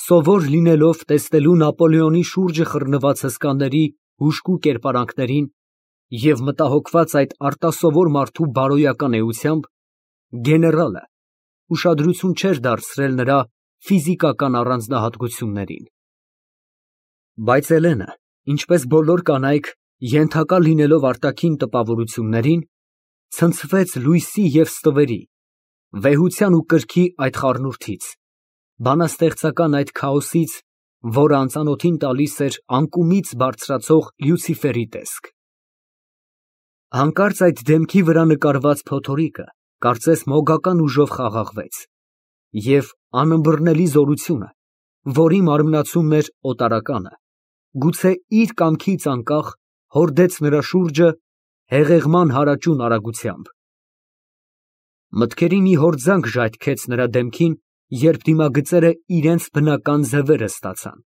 սովոր լինելով տեսնելու Նապոլեոնի շուրջը խռնված հսկաների հուժկու կերպարանքներին և մտահոգված այդ արտասովոր մարդու բարոյական էությամբ, գեներալը ուշադրություն չէր դարձրել նրա ֆիզիկական առանձնահատկություններին։ Բայց Էլենը, ինչպես բոլոր կանայք, ենթակա լինելով արտաքին տպավորություններին, ցնցվեց լույսի և ստվերի, վեհության ու կրքի այդ խառնուրդից, բանաստեղծական այդ քաոսից, որը անծանոթին տալիս էր անկումից բարձրացող Լյուցիֆերի տեսք։ Հանկարծ այդ դեմքի վրա նկարված փոթորիկը, կարծես մոգական ուժով խաղաղվեց, և անըմբռնելի զորությունը, որի մարմնացումն էր օտարականը, գուցե իր կամքից անկախ, հորդեց նրա շուրջը հեղեղման հարաճուն արագությամբ։ Մտքերի մի հորձանք ժայթքեց նրա դեմքին, երբ դիմագծերը իրենց բնական ձևերը ստացան։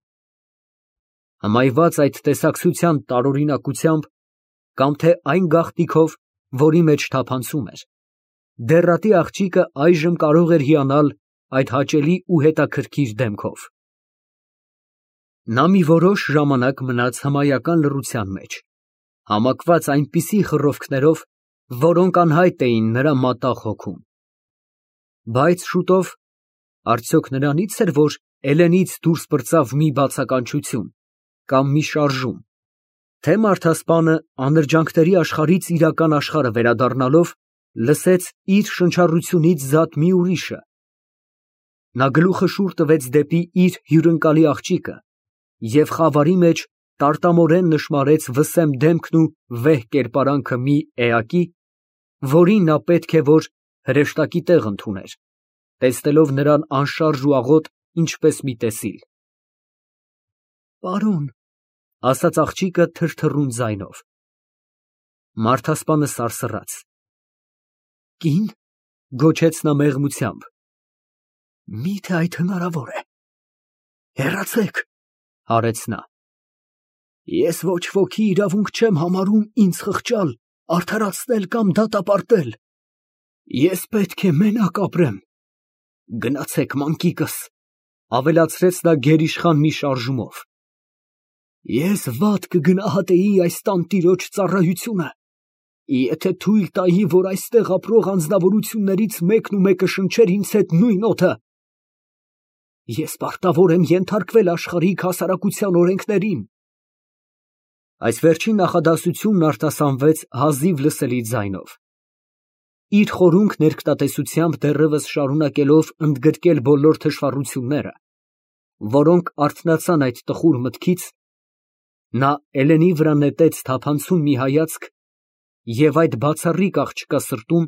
Հմայված այդ տեսակցության տարօրինակությամբ, կամ թե այն գաղտնիքով, որի մեջ թափանցում էր, դեռատի աղջիկը այժմ կարող էր հիանալ այդ հաճելի ու հետաքրքիր դեմքով։ Նա մի որոշ ժամանակ մնաց հմայական լռության մեջ, համակված այնպիսի խռովքներով, որոնք անհայտ էին նրա մատաղ հոգում։ Բայց շուտով, արդյոք նրանի՞ց էր, որ Էլենից դուրս պրծավ մի բացականչություն կամ մի շարժում, թե մարդասպանը անրջանքների աշխարհից իրական աշխարհը վերադառնալով, լսեց իր շնչառությունից զատ մի ուրիշը։ Նա գլուխը շուռ տվեց դեպի իր հյուրընկալի աղջիկը և խավարի մեջ տարտամորեն նշմարեց վսեմ դեմքն ու վեհ կերպարանքը մի էակի, որին նա պետք է որ հրեշտակի տեղ ընդուներ, տեսնելով նրան անշարժ ու աղոտ, ինչպես մի տեսիլ։ Պարոն, ֊ ասաց աղջիկը թրթռուն ձայնով։ Մարդասպանը սարսռաց։ Կին, ֊ գոչեց նա մեղմությամբ, մի՞թե այդ հնարավոր է։ Հեռացեք, ֊ հարեց նա։ Ես ոչ ոքի իրավունք չեմ համարում ինձ խղճալ, արդարացնել կամ դատապարտել։ Ես պետք է մենակ ապրեմ։ Գնացեք, մանկիկս, ֊ ավելացրեց նա գերիշխան մի շարժումով։ Ես վատ կգնահատեի այս տանտիրոջ ծառայությունը, եթե թույլ տայի, որ այստեղ ապրող անձնավորություններից մեկն ու մեկը շնչեր ինձ հետ նույն օդը։ Ես պարտավոր եմ ենթարկվել աշխարհիկ հասարակության օրենքներին։ Այս վերջին նախադասությունն արտասանվեց հազիվ լսելի ձայնով։ Իր խորունկ ներկտատեսությամբ դեռևս շարունակելով ընդգրկել բոլոր թշվառությունները, որոնք արթնացան այդ տխուր մտքից, նա Էլենի վրա նետեց թափանցում մի հայացք և այդ բացառիկ աղջկա սրտում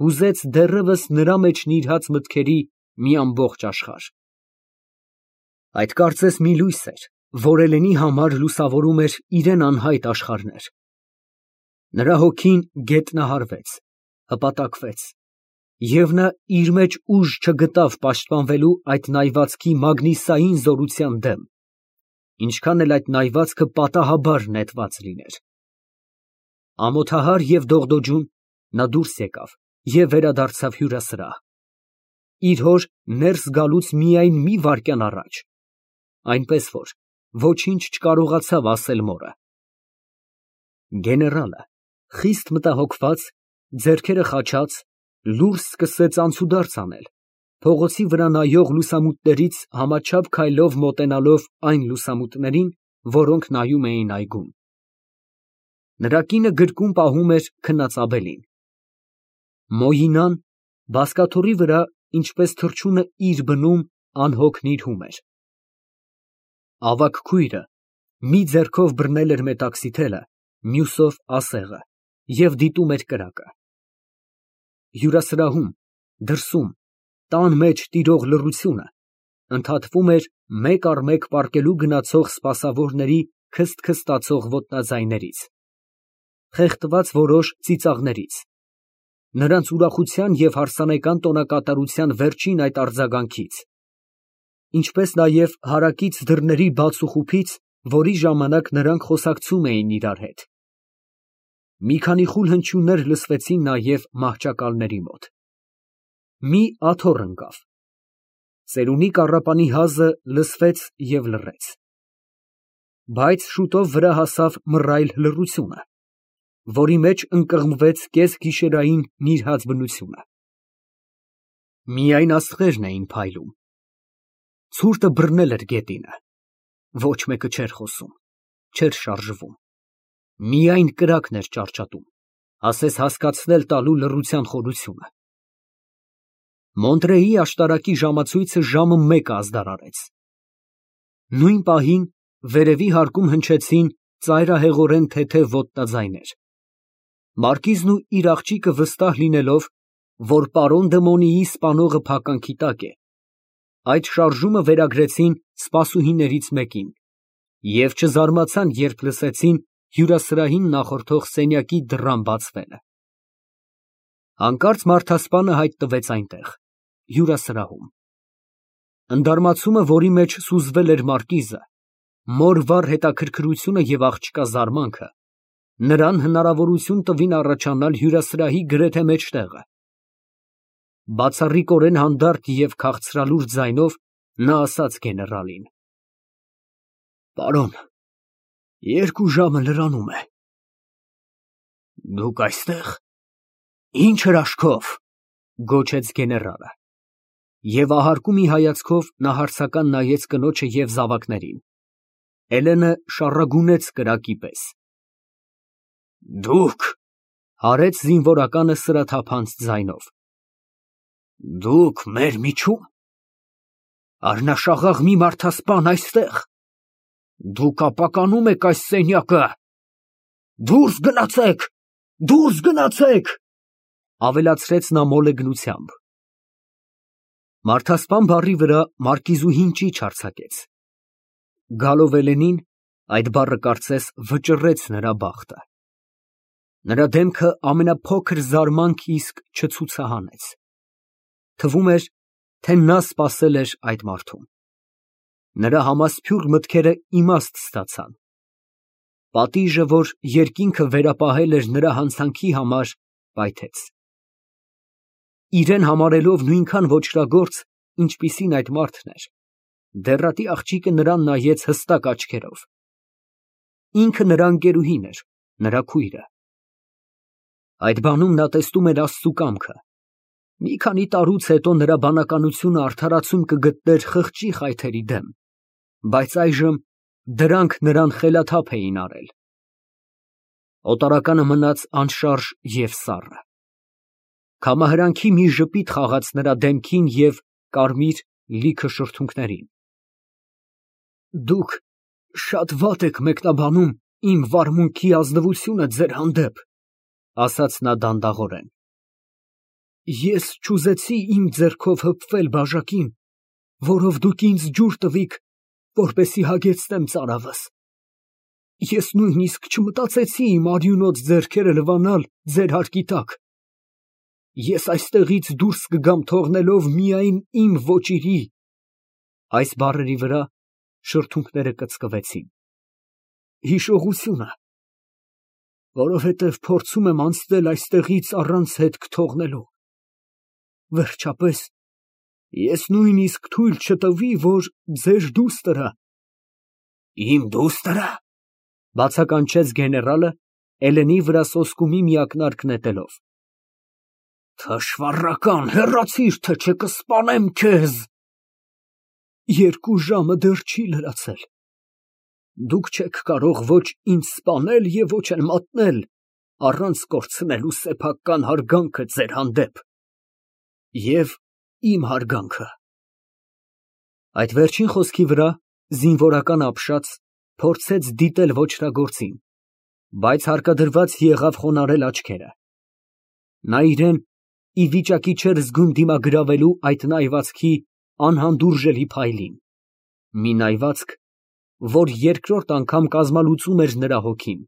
հուզեց դեռևս նրա մեջ նիրհած մտքերի մի ամբողջ աշխարհ։ Այդ կարծես մի լույս էր, որ Էլենի համար լուսավորում էր իրան անհայտ աշխարհներ։ Նրա հոգին գետնահարվեց, հպատակվեց, և նա իր մեջ ուժ չգտավ պաշտպանվելու այդ նայվածքի մագնիսային զորության դեմ, ինչքան էլ այդ նայվածքը պատահաբար նետված լիներ։ Ամոթահար և դողդոջուն նա դուրս եկավ և վերադարձավ հյուրասրահ, իր հոր ներս գալուց միայն մի վայրկյան առաջ, այնպես որ ոչինչ չկարողացավ ասել մորը։ Գեներալը, խիստ մտահոգված, ձեռքերը խաչած, լուրջ սկսեց անցուդարձ անել, փողոցի վրա նայող լուսամուտներից համաչափ քայլով մոտենալով այն լուսամուտներին, որոնք նայում էին այգուն։ Նրա կինը գրկում պահում էր քնած աբելին։ Մոյինան բազկաթոռի վրա, ինչպես թռչունը իր բնում, անհոգ նիրհում էր։ Ավագ քույրը մի ձեռքով բռնել էր մետաքսի թելը, մյուսով ասեղը և դիտում էր կրակը։ Հյուրասրահում, դրսում, տան մեջ տիրող լռությունը ընդհատվում էր մեկ առ մեկ պառկելու գնացող սպասավորների քսթքստացող ոտնաձայներից, խեղդված որոշ ծիծաղներից, նրանց ուրախության և հարսանեկան տոնակատարության վերջին այդ արձագանքից, ինչպես նաև հարակից դռների բաց ու խուփից, որի ժամանակ նրանք խոսակցում էին իրար հետ։ Մի քանի խուլ հնչյուններ լսվեցին նաև մահճակալների մոտ։ Մի աթոռ ընկավ։ Ծերունի կառապանի հազը լսվեց և լռեց, բայց շուտով վրա հասավ մռայլ լռությունը, որի մեջ ընկղմվեց կեսգիշերային նիրհած բնությունը. միայն աստղերն էին փայլում, ցուրտը բռնել էր գետինը, ոչ մեկը չէր խոսում, չէր շարժվում, միայն կրակն էր ճարճատում, ասես հասկացնել տալու լռության խորությունը։ Մոնտրեի աշտարակի ժամացույցը ժամը 1 ազդարարեց։ Նույն պահին վերևի հարկում հնչեցին ծայրահեղորեն թեթև ոտնաձայներ։ Մարկիզն ու իր աղջիկը վստահ լինելով, որ պարոն Դմոնիի սպանողը փականքի տակ է, այդ շարժումը վերագրեցին սպասուհիներից մեկին և չզարմացան, երբ լսեցին հյուրասրահին նախորդող սենյակի դռան բացվելը։ Հանկարծ մարդասպանը հայտնվեց այնտեղ, հյուրասրահում։ Ընդարմացումը, որի մեջ սուզվել էր մարկիզը, մոր վառ հետաքրքրությունը և աղջկա զարմանքը, նրան հնարավորություն տվին առաջանալ հյուրասրահի գրեթե մեջտեղը։ Բացառիկորեն հանդարտ և քաղցրալուր ձայնով նա ասաց գեներալին. Պարոն, 2 ժամը լրանում է։ Դուք այստեղ։ Ինչ հրաշքով, գոչեց գեներալը։ Եվ ահարկու մի հայացքով նա հարցական նայեց կնոջը և զավակներին։ Էլենը շառագունեց կրակի պես։ Դուք, հարեց զինվորականը սրաթափանց ձայնով։ Դուք մեր միջո՞ւմ։ Առնաշաղաղ մի մարդասպան այստեղ։ Դուք ապականում եք այս սենյակը։ Դուրս գնացեք, դուրս գնացեք, ավելացրեց նա մոլեգնությամբ։ Մարդասպան բառի վրա մարկիզուհին ճիչ արձակեց։ Գալով Էլենին, այդ բառը կարծես վճռեց նրա բախտը։ Նրա դեմքը ամենափոքր զարմանք իսկ չցուցահանեց։ Թվում էր, թե նա սպասել էր այդ մարդուն։ Նրա համասփյուռ մտքերը իմաստ ստացան։ Պատիժը, որ երկինքը վերապահել էր նրա հանցանքի համար, պայթեց։ Իրեն համարելով նույնքան ոճրագործ, ինչպիսին այդ մարդն էր, դեռատի աղջիկը նրան նայեց հստակ աչքերով։ Ինքը նրա ընկերուհին էր, նրա քույրը։ Այդ բանում նա տեսնում էր Աստծու կամքը։ Մի քանի տարուց հետո նրա բանականությունը արդարացում կգտներ խղճի խայթերի դեմ, բայց այժմ դրանք նրան խելաթափ էին արել։ Օտարականը մնաց անշարժ և սառը։ Քամահրանքի մի ժպիտ խաղաց նրա դեմքին և կարմիր լիքը շրթունքներին։ Դուք շատ վատ եք մեկնաբանում իմ վարմունքի ազնվությունը ձեր հանդեպ, ասաց նա դանդաղորեն։ Ես չուզեցի իմ ձեռքով հպվել բաժակին, որով դուք ինձ ջուր տվիք, որպեսզի հագեցնեմ ծարավս։ Ես նույնիսկ չմտածեցի իմ արյունոտ ձեռքերը լվանալ ձեր հարկի տակ։ Ես այստեղից դուրս կգամ թողնելով միայն իմ ոճիրի (այս բառերի վրա շրթունքները կծկվեցին) հիշողությունը, որովհետև փորձում եմ անցնել այստեղից առանց հետք թողնելու։ Վերջապես, ես նույնիսկ թույլ չտվի, որ ձեր դուստրը… Իմ դուստր… բացականչեց գեներալը, Էլենի վրա սոսկումի մի ակնարկ նետելով։ Թշվառական, հեռացիր, թե չէ կսպանեմ քեզ։ 2 ժամը դեռ չի լրացել։ Դուք չեք կարող ոչ ինձ սպանել և ոչ էլ մատնել, առանց կորցնելու սեփական հարգանքը ձեր հանդեպ և իմ հարգանքը։ Այդ վերջին խոսքի վրա զինվորական ապշած փորձեց դիտել ոճրագործին, բայց հարկադրված եղավ խոնարհել աչքերը։ Նա իրեն ի վիճակի չէր զգում դիմագրավելու այդ նայվածքի անհանդուրժելի փայլին, մի նայվածք, որ երկրորդ անգամ կազմալուծում էր նրա հոգին։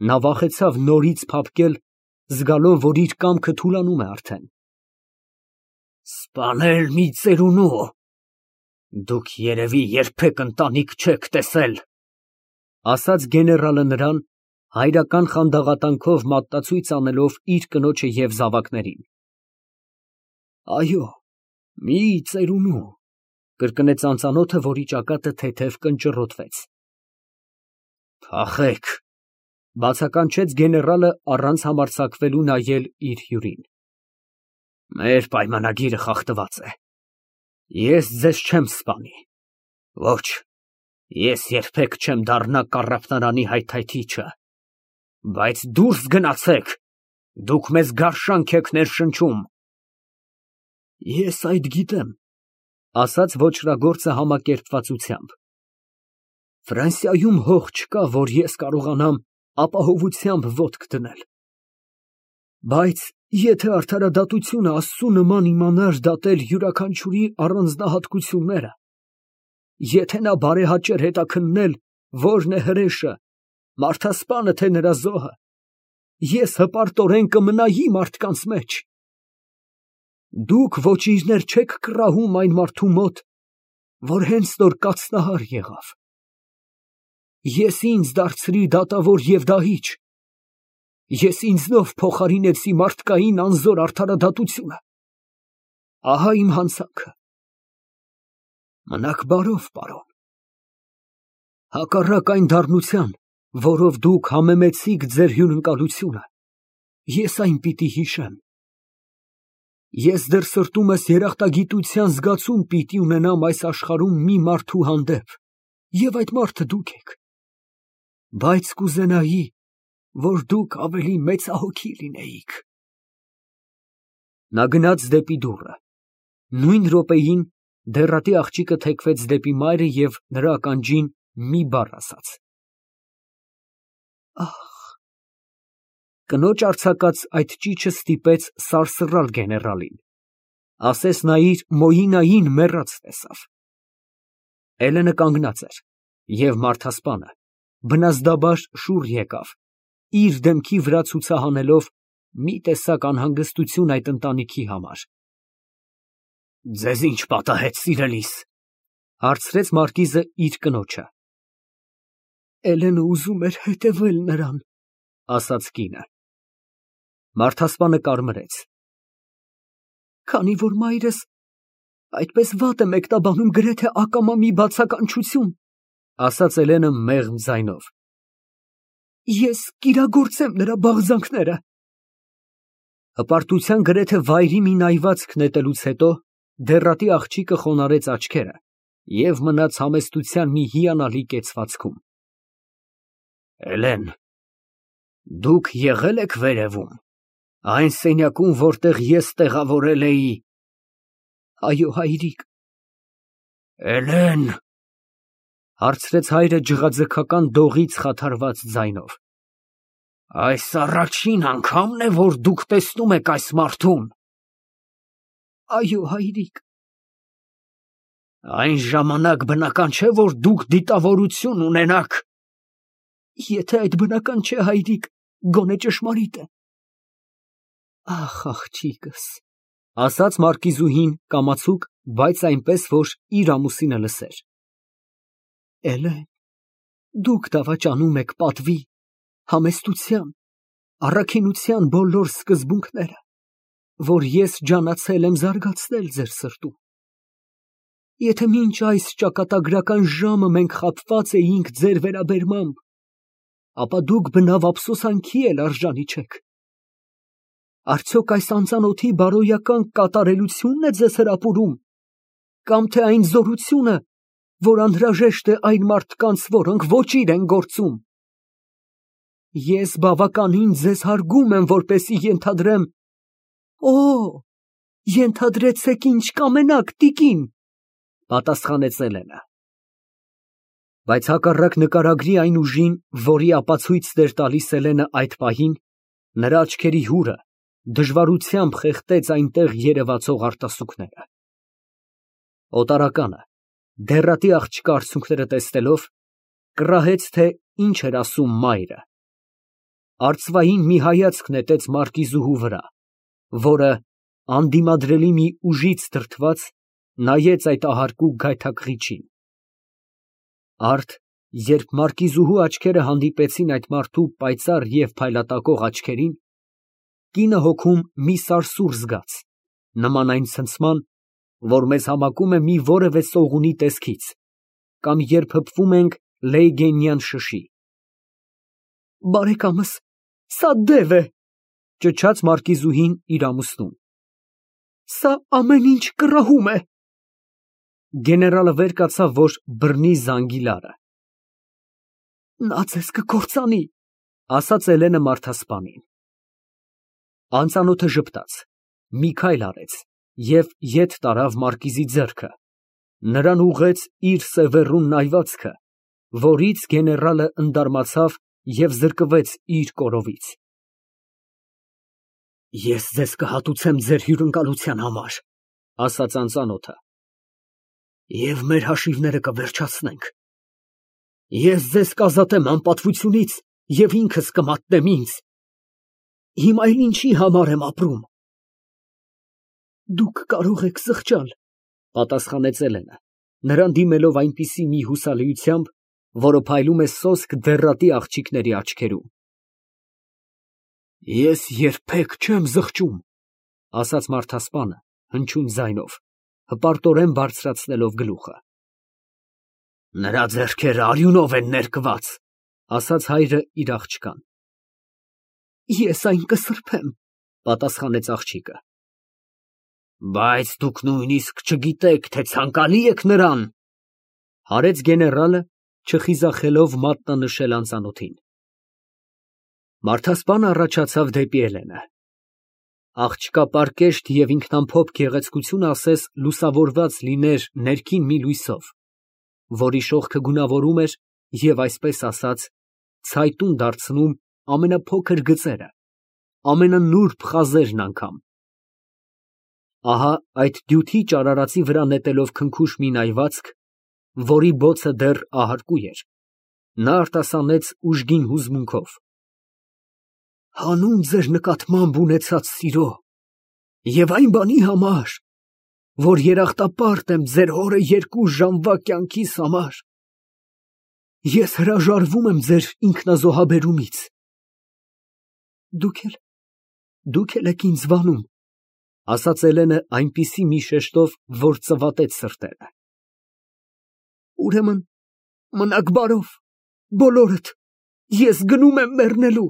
Նա վախեցավ նորից փափկել, զգալով, որ իր կամքը թուլանում է արդեն։ Սպանել մի ծերունու… Դուք երևի երբեք ընտանիք չեք տեսել, ասաց գեներալը նրան, հայրական խանդաղատանքով մատնացույց անելով իր կնոջը և զավակներին։ Այո, Մի ծերունու, կրկնեց անծանոթը, որի ճակատը թեթև կնճռոտվեց։ Փախեք, բացականչեց գեներալը առանց համարձակվելու նայել իր հյուրին։ Մեր պայմանագիրը խախտված է։ Ես ձեզ չեմ սպանի։ Ոչ, ես երբեք չեմ դառնա կառապնարանի հայթայթիչը։ Բայց դուրս գնացեք, դուք մեզ գարշանք եք ներշնչում։ Ես այդ գիտեմ, ասաց ոճրագործը համակերպվածությամբ։ Ֆրանսիայում հող չկա, որ ես կարողանամ ապահովությամբ ոտք դնել։ Բայց եթե արդարադատությունը Աստծու նման իմանար դատել յուրաքանչյուրի առանձնահատկությունները, եթե նա բարեհաճեր հետաքննել, որն է հրեշը, մարդասպանը թե նրա զոհը, ես հպարտորեն կմնայի մարդկանց մեջ։ Դուք ոչիրներ չեք կռահում այն մարդու մոտ, որ հենց նոր կաթնահար եղավ։ Ես ինձ դարձրի դատավոր և դահիճ։ Ես ինձնով փոխարինեցի մարդկային անզոր արդարադատությունը։ Ահա իմ հանցանքը։ Մնաք բարով, պարոն։ Հակառակ այն դառնության, որով դուք համեմեցիք ձեր հյուրընկալությունը, ես այն պիտի հիշեմ։ Ես դեռ սրտումս երախտագիտության զգացում պիտի ունենամ այս աշխարհում մի մարդու հանդեպ, և այդ մարդը դուք եք։ Բայց կուզենայի, որ դուք ավելի մեծահոգի լինեիք։ Նա գնաց դեպի դուռը։ Նույն րոպեին դեռատի աղջիկը թեքվեց դեպի մայրը և նրա ականջին մի բառ ասաց։ Ահ։ Կնոջ արձակած այդ ճիչը ստիպեց սարսռալ գեներալին, ասես նա իր Մոյինային մեռած տեսավ։ Էլենը կանգնած էր, և մարդասպանը բնազդաբար շուռ եկավ, իր դեմքի վրա ցուցահանելով մի տեսակ անհանգստություն այդ ընտանիքի համար։ Ձեզ ինչ պատահեց, սիրելիս, հարցրեց մարկիզը իր կնոջը։ Էլենը ուզում էր հետևել նրան, ասաց կինը։ Մարդասպանը կարմրեց։ Քանի որ մայրս այդպես վատ է մեկնաբանում գրեթե ակամա մի բացականչություն, ասաց Էլենը մեղմ ձայնով։ Ես կիրագործեմ նրա բաղձանքները։ Հպարտության գրեթե վայրի մի նայվածք նետելուց հետո դեռատի աղջիկը խոնարհեց աչքերը և մնաց համեստության մի հիանալի կեցվածքում։ Էլեն, դուք եղել եք վերևում, այն սենյակում, որտեղ ես տեղավորել էի։ Այո, հայրիկ։ Էլեն, հարցրեց հայրը ջղաձգական դողից խաթարված ձայնով։ Այս առաջին անգամն է, որ դուք տեսնում եք այս մարդուն։ Այո, հայրիկ։ Այն ժամանակ բնական չէ, որ դուք դիտավորություն ունենաք։ Եթե այդ բնական չէ, հայրիկ, գոնե ճշմարիտ է։ Ախ, աղջիկս, ասաց մարկիզուհին կամացուկ, բայց այնպես, որ իր ամուսինը լսեր։ Էլեն, դուք դավաճանում եք պատվի, համեստության, առաքինության բոլոր սկզբունքները, որ ես ջանացել եմ զարգացնել ձեր սրտում։ Եթե մինչ այս ճակատագրական ժամը մենք խաբված էինք ձեր վերաբերմամբ, ապա դուք բնավ ափսոսանքի էլ արժանի չեք։ Արդյոք այս անծանոթի բարոյական կատարելությունն է ձեզ հրապուրում, կամ թե այն զորությունը, որ անհրաժեշտ է այն մարդկանց, որոնք ոչիր են գործում։ Ես բավականին ձեզ հարգում եմ, որպեսզի ենթադրեմ։ Օ, ենթադրեցեք ինչ կամենաք, տիկին, պատասխանեց Էլենը։ Բայց հակառակ նկարագրի այն ուժին, որի ապացույցն էր տալիս Էլենը այդ պահին, նրա աչքերի հուրը դժվարությամբ խեղդեց այնտեղ երևացող արտասուքները։ Օտարականը, դեռատի աղջկա արցունքները տեսնելով, կռահեց, թե ինչ էր ասում մայրը։ Արծվային մի հայացք նետեց մարկիզուհու վրա, որը անդիմադրելի մի ուժից դրդված նայեց այդ ահարկու գայթակղիչին։ Արդ, երբ մարկիզուհու աչքերը հանդիպեցին այդ մարդու պայծառ և փայլատակող աչքերին, կինը հոգում մի սարսուռ զգաց, նման այն ցնցման, որ մեզ համակում է մի որևէ սողունի տեսքից, կամ երբ հպվում ենք լեյգենյան շշի։ Բարեկամս, սա դև է, ճչաց մարկիզուհին իր ամուսնուն։ Սա ամեն ինչ կռահում է։ Գեներալը վեր կացավ, որ բռնի զանգի լարը։ Նա ձեզ կկործանի, ասաց Էլենը մարդասպանին։ Անծանոթը ժպտաց, մի քայլ արեց և ետ տարավ մարկիզի ձեռքը, նրան ուղղեց իր սևեռուն նայվածքը, որից գեներալը ընդարմացավ և զրկվեց իր կորովից։ Ես ձեզ կհատուցեմ ձեր հյուրընկալության համար, ասաց անծանոթը, և մեր հաշիվները կվերջացնենք։ Ես ձեզ կազատեմ անպատվությունից և ինքս կմատնեմ ինձ։ Հիմա էլ ինչի համար եմ ապրում։ Դուք կարող եք զղջալ, պատասխանեց Էլենը, նրան դիմելով այնպիսի մի հուսալիությամբ, որը փայլում է սոսկ դեռատի աղջիկների աչքերում։ Ես երբեք չեմ զղջում, ասաց մարդասպանը հնչյուն ձայնով, հպարտորեն բարձրացնելով գլուխը։ Նրա ձեռքերը արյունով են ներկված, ասաց հայրը իր աղջկան։ Ես այն կսրբեմ, պատասխանեց աղջիկը։ Բայց դուք նույնիսկ չգիտեք, թե ցանկալի եք նրան, հարեց գեներալը, չխիզախելով մատնանշել անծանոթին։ Մարդասպանը առաջացավ դեպի Էլենը։ Աղջկա պարկեշտ և ինքնամփոփ գեղեցկությունը ասես լուսավորված լիներ ներքին մի լույսով, որի շողքը գունավորում էր և, այսպես ասած, ցայտուն դարձնում ամենափոքր գծերը, ամենանուրբ խազերն անգամ։ Ահա այդ դյութի ճարարածի վրա նետելով քնքուշ մի նայվածք, որի բոցը դեռ ահարկու էր, նա արտասանեց ուժգին հուզմունքով. Հանուն ձեր նկատմամբ ունեցած սիրո և այն բանի համար, որ երախտապարտ եմ ձեր հորը 2 ժամվա կյանքիս համար, ես հրաժարվում եմ ձեր ինքնազոհաբերումից։ Դուք էլ եք ինձ վանում, ասաց Էլենը այնպիսի մի շեշտով, որ ծվատեց սրտերը։ Ուրեմն մնաք բարով, բոլորդ, ես գնում եմ մեռնելու։